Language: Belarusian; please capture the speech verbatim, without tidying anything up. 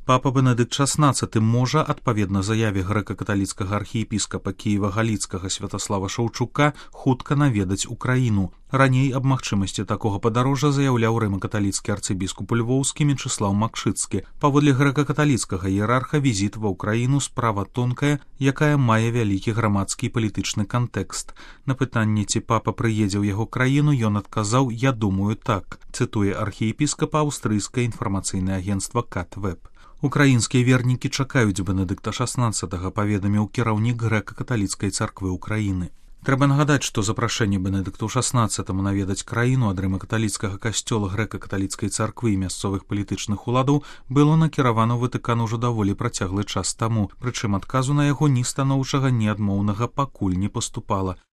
Папа Бенедыкт шаснаццаты можа, адпаведна заяве грэка-каталіцкага архіепіскапа Кіева-Галіцкага Святаслава Шаўчука, хутка наведаць Украіну. Раней аб магчымасці такога падарожжа заяўляў рыма-каталіцкі арцыбіскуп Львоўскі Мечыслаў Макшыцкі. Паводле грэка-каталіцкага іерарха візіт ва ўкраіну справа тонкая, якая мае вялікі грамадскі і палітычны кантэкст. На пытанне, ці папа прыедзе ў яго краіну, ён адказаў: «Я думаю, так», цытуе архіепіскапа аўстрыйскае інфармацыйнае агенцтва Кат-Веб. Украінскія вернікі чакаюць Бенедыкта шаснаццатага, паведаміў кіраўнік грэка-каталіцкай царквы Украіны. Трэба нагадаць, што запрашэнне Бенедыкту шаснаццатаму наведаць краіну ад рыма-каталіцкага касцёла грэка-каталіцкай царквы і мясцовых палітычных уладаў было накіравана ў Ватыкан ужо даволі працяглы час таму, прычым адказу на яго ні станоўчага, ні адмоўнага пакуль не паступала.